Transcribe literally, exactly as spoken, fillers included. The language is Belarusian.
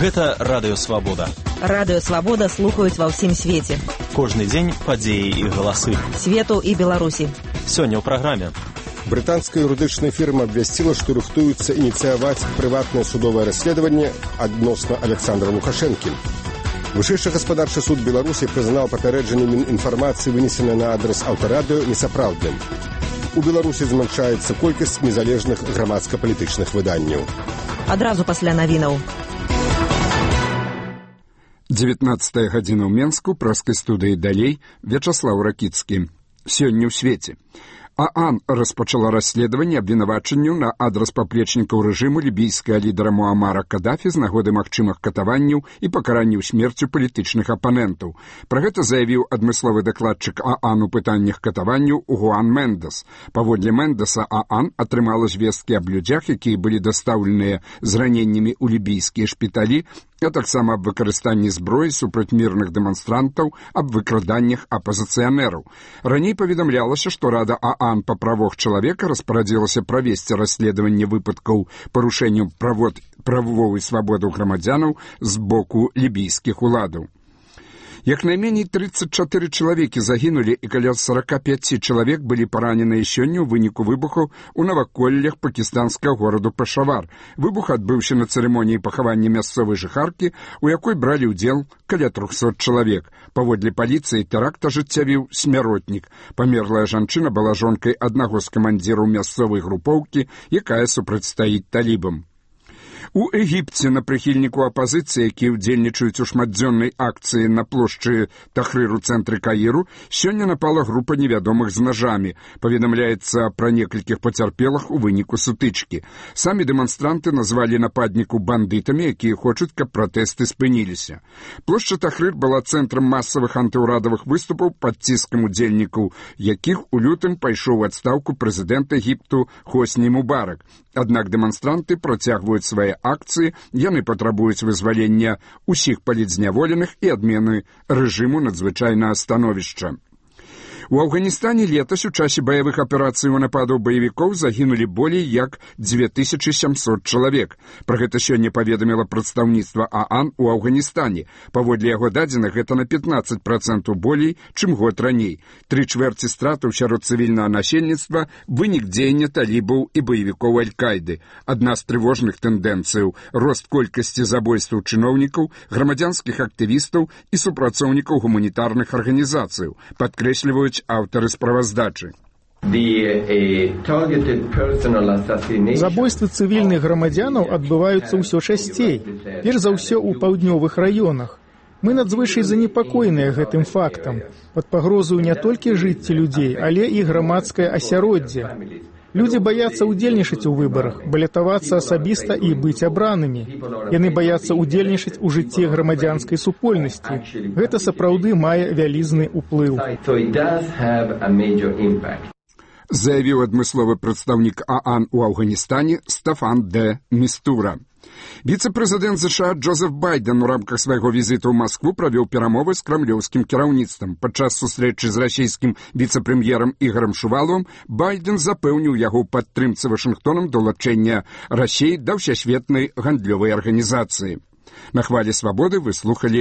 Гэта Радыё Свабода. Радыё Свабода слухаюць ва ўсім свеце. Кожны дзень падзеі і галасы. Свету і Беларусі. Сёння ў праграме. Брытанская юрыдычная фірма абвясціла, што рыхтуецца ініцыяваць прыватнае судовае расследаванне адносна Александра Лукашэнкі. Вышэйшы гаспадарчы суд Беларусі прызнаў папярэджанне Мінінфармацыі, вынесенае на адрас аўтарадыё, несапраўдным. У Беларусі змяншаецца колькасць незалежных грамадска-палітычных выданняў. Адразу пасля навінаў. дзевятнадцатая гадзіна ў Менску, праскай студыі далей, Вячаслаў Ракіцкі. Сёння ў свеце. ААН распачала расследаванне абвінавачанняў на адрас паплечнікаў рэжыму лібійскага лідара Муамара Кадафі з нагоды магчымых катаванняў і пакаранняў смерцю палітычных апанентаў. Пра гэта заявіў адмысловы дакладчык ААН у пытаннях катаванняў Гуан Мендес. Паводле Мендеса, ААН атрымала звесткі аб людзях, якія былі дастаўленыя з раненнямі ў лібійскія шпіталі, а таксама аб выкарыстанні зброі супраць мірных дэманстрантаў, аб выкраданнях апазіцыянераў. Раней паведамлялася, што Рада ААН па правах чалавека распарадзілася правесці расследаванне выпадкаў парушэнняў правовой свабоды грамадзянаў з боку лібійскіх уладаў. Як найменей тридцать чатыры чалавекі загінулі і каля сорок пять чалавек былі параненыя сёння ў выніку выбухаў у наваколлях пакістанскага гораду Пешавар. Выбух адбыўся на цырымоніі пахавання мясцовай жыхаркі, у якой бралі ўдзел каля трохсот чалавек. Паводле паліцыі тэракт ажыццявіў смяротнік. Памерлая жанчына была жонкай аднаго з камандзіраў мясцовай групоўкі, якая супрацьстаіць талібам. У Егіпце на прыхільніку апазіцыі, якія ўдзельнічаюць у шматдзённай акцыі на плошчы Тахрыр у цэнтры Каіру, сёння напала група невядомых з нажамі. Паведамляецца пра некалькіх пацярпелых у выніку сутычкі. Самі дэманстранты назвалі нападніку бандытамі, якія хочуць, каб пратэсты спыніліся. Плошча Тахрыр была цэнтрам масавых антыўрадавых выступаў пад ціскам удзельнікаў, якіх у лютым пайшоў у адстаўку прэзідэнт Егіпту Хосні Мубарак. Аднак дэманстранты працягваюць свае акцыі, яны патрабуюць вызвалення ўсіх палітзняволеных і адмены рэжыму надзвычайнага становішча. У Афганістане летась у часе баявых аперацый у нападаў баевікоў загінулі болей як две тысячи семьсот чалавек. Пра гэта сёння паведаміла прадстаўніцтва ААН у Афганістане. Паводле яго дадзеных, гэта на пятнадцать процентаў болей, чым год раней. Тры чвэрці стратаў сярод цывільнага насельніцтва – вынік дзеяння талібаў і баевікоў Аль-Кайды. Адна з трывожных тэндэнцыяў – рост колькасці забойстваў чыноўнікаў, грамадзянскіх актывістаў і супрацоўнікаў гуманітарных арганізацыяў, падкрэсліваюць аўтары справаздачы. Забойствы цывільных грамадзянаў адбываюцца ўсё часцей, перш за ўсё ў паўднёвых раёнах. Мы надзвычай занепакоеныя гэтым фактам. Пад пагрозою не толькі жыцці людзей, але і грамадскае асяроддзе. Людзі баяцца ўдзельнічаць у выбарах, балятавацца асабіста і быць абранымі. Яны баяцца ўдзельнічаць у жыцці грамадзянскай супольнасці. Гэта сапраўды мае вялізны ўплыў. Заявіў адмысловы прадстаўнік ААН у Афганістане Стафан де Містура. Віцэ-прэзідэнт ЗША Джозеф Байден у рамках свайго візіту ў Маскву правёў перамовы з крамлёўскім кіраўніцтвам. Падчас сустрэчы з расійскім віцэ-прэм'ерам Ігорам Шуваловым Байден запэўніў яго ў падтрымцы Вашынгтонам далучэння Расіі да ўсесветнай гандлёвай арганізацыі. На хвалі свабоды вы слухалі